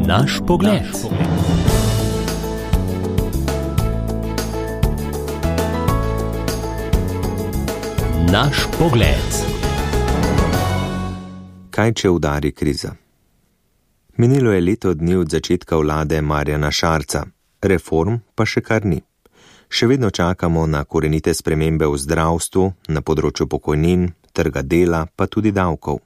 Naš pogled. Naš pogled. Kaj če udari kriza? Minilo je leto dni od začetka vlade Marjana Šarca, reform pa še kar ni. Še vedno čakamo na korenite spremembe v zdravstvu, na področju pokojnin, trga dela, pa tudi davkov.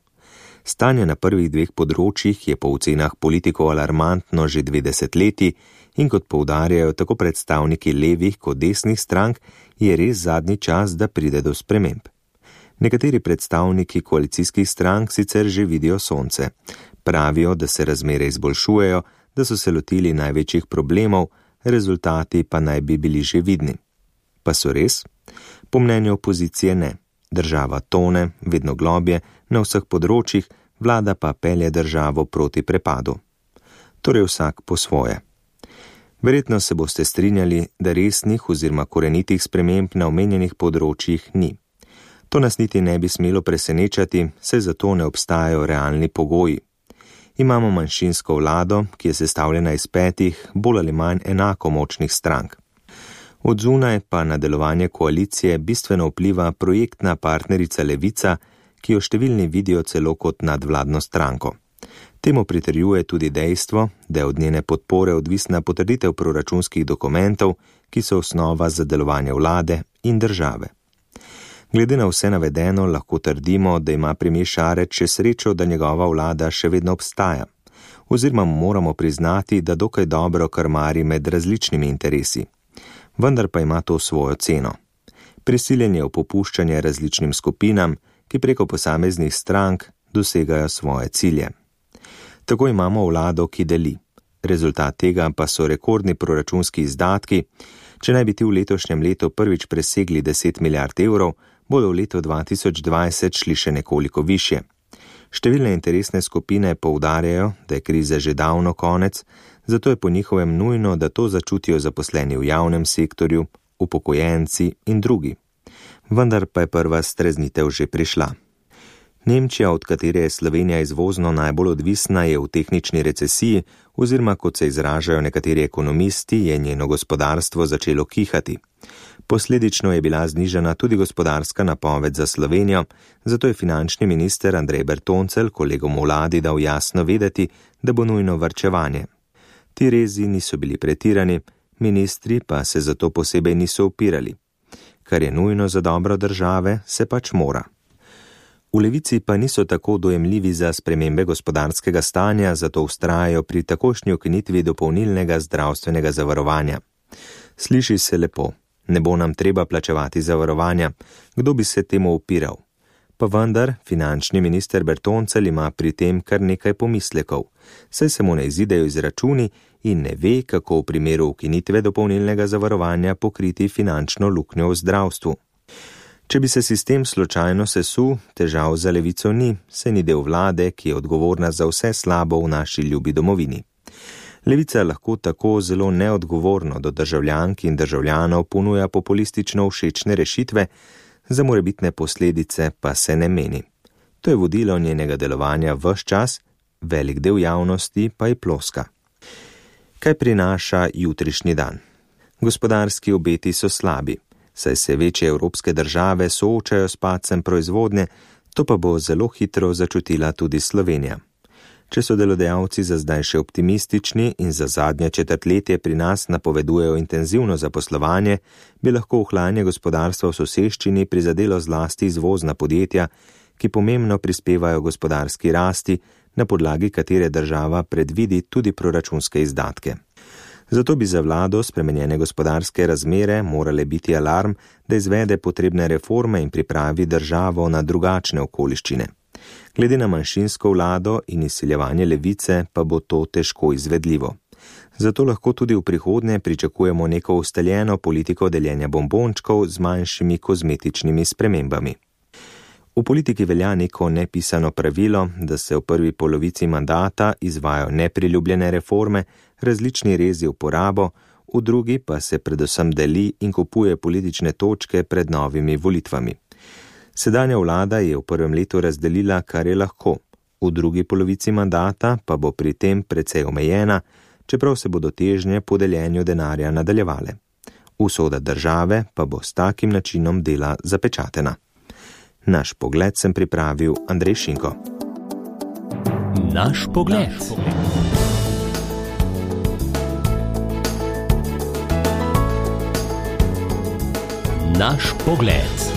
Stanje na prvih dveh področjih je po ocenah politikov alarmantno že 2 desetletji in kot poudarjajo tako predstavniki levih kot desnih strank, je res zadnji čas, da pride do sprememb. Nekateri predstavniki koalicijskih strank sicer že vidijo sonce. Pravijo, da se razmere izboljšujejo, da so se lotili največjih problemov, rezultati pa naj bi bili že vidni. Pa so res? Po mnenju opozicije ne. Država tone, vedno globje, na vseh področjih, vlada pa pelje državo proti prepadu. Torej vsak po svoje. Verjetno se boste strinjali, da resnih oziroma korenitih sprememb na omenjenih področjih ni. To nas niti ne bi smelo presenečati, saj zato ne obstajajo realni pogoji. Imamo manjšinsko vlado, ki je sestavljena iz 5 bolj ali manj enako močnih strank. Od zunaj pa na delovanje koalicije bistveno vpliva projektna partnerica Levica, ki jo številni vidijo celo kot nadvladno stranko. Temu pritrjuje tudi dejstvo, da je od njene podpore odvisna potrditev proračunskih dokumentov, ki so osnova za delovanje vlade in države. Glede na vse navedeno lahko trdimo, da ima premier Šarec še srečo, da njegova vlada še vedno obstaja. Oziroma moramo priznati, da dokaj dobro krmari med različnimi interesi. Vendar pa ima to svojo ceno. Prisiljen je v popuščanje različnim skupinam, ki preko posameznih strank dosegajo svoje cilje. Tako imamo vlado, ki deli. Rezultat tega pa so rekordni proračunski izdatki. Če naj bi ti v letošnjem letu prvič presegli 10 milijard evrov, bodo v letu 2020 šli še nekoliko višje. Številne interesne skupine poudarjajo, da je krize že davno konec, zato je po njihovem nujno, da to začutijo zaposleni v javnem sektorju, upokojenci in drugi. Vendar pa je prva streznitev že prišla. Nemčija, od katere je Slovenija izvozno najbolj odvisna, je v tehnični recesiji, oziroma kot se izražajo nekateri ekonomisti, je njeno gospodarstvo začelo kihati. Posledično je bila znižana tudi gospodarska napoved za Slovenijo, zato je finančni minister Andrej Bertoncelj kolegom v vladi dal jasno vedeti, da bo nujno varčevanje. Ti rezi niso bili pretirani, ministri pa se zato posebej niso upirali. Kar je nujno za dobro države, se pač mora. V Levici pa niso tako dojemljivi za spremembe gospodarskega stanja, zato vztrajajo pri takošnji ukinitvi dopolnilnega zdravstvenega zavarovanja. Sliši se lepo, ne bo nam treba plačevati zavarovanja, kdo bi se temu upiral? Pa vendar, finančni minister Bertoncelj ima pri tem kar nekaj pomislekov, saj se mu ne izidejo izračuni in ne ve, kako v primeru ukinitve dopolnilnega zavarovanja pokriti finančno luknjo v zdravstvu. Če bi se sistem slučajno sesul, težav za Levico ni, saj ni del vlade, ki je odgovorna za vse slabo v naši ljubi domovini. Levica lahko tako zelo neodgovorno do državljank in državljanov ponuja populistično všečne rešitve, za morebitne posledice pa se ne meni. To je vodilo njenega delovanja ves čas, velik del javnosti pa je ploska. Kaj prinaša jutrišnji dan? Gospodarski obeti so slabi, saj se večje evropske države soočajo s padcem proizvodnje, to pa bo zelo hitro začutila tudi Slovenija. Če so delodajalci za zdaj še optimistični in za zadnje četrtletje pri nas napovedujejo intenzivno zaposlovanje, bi lahko ohlajanje gospodarstva v soseščini prizadelo zlasti izvozna podjetja, ki pomembno prispevajo gospodarski rasti, na podlagi katere država predvidi tudi proračunske izdatke. Zato bi za vlado spremenjene gospodarske razmere morale biti alarm, da izvede potrebne reforme in pripravi državo na drugačne okoliščine. Glede na manjšinsko vlado in izsiljevanje Levice pa bo to težko izvedljivo. Zato lahko tudi v prihodnje pričakujemo neko ustaljeno politiko deljenja bombončkov z manjšimi kozmetičnimi spremembami. V politiki velja neko nepisano pravilo, da se v prvi polovici mandata izvajajo nepriljubljene reforme, različni rezi v porabo, v drugi pa se predvsem deli in kupuje politične točke pred novimi volitvami. Sedanja vlada je v prvem letu razdelila, kar je lahko. V drugi polovici mandata pa bo pri tem precej omejena, čeprav se bodo težnje po deljenju denarja nadaljevale. Usoda države pa bo s takim načinom dela zapečatena. Naš pogled sem pripravil Andrej Šinko. Naš pogled. Naš pogled.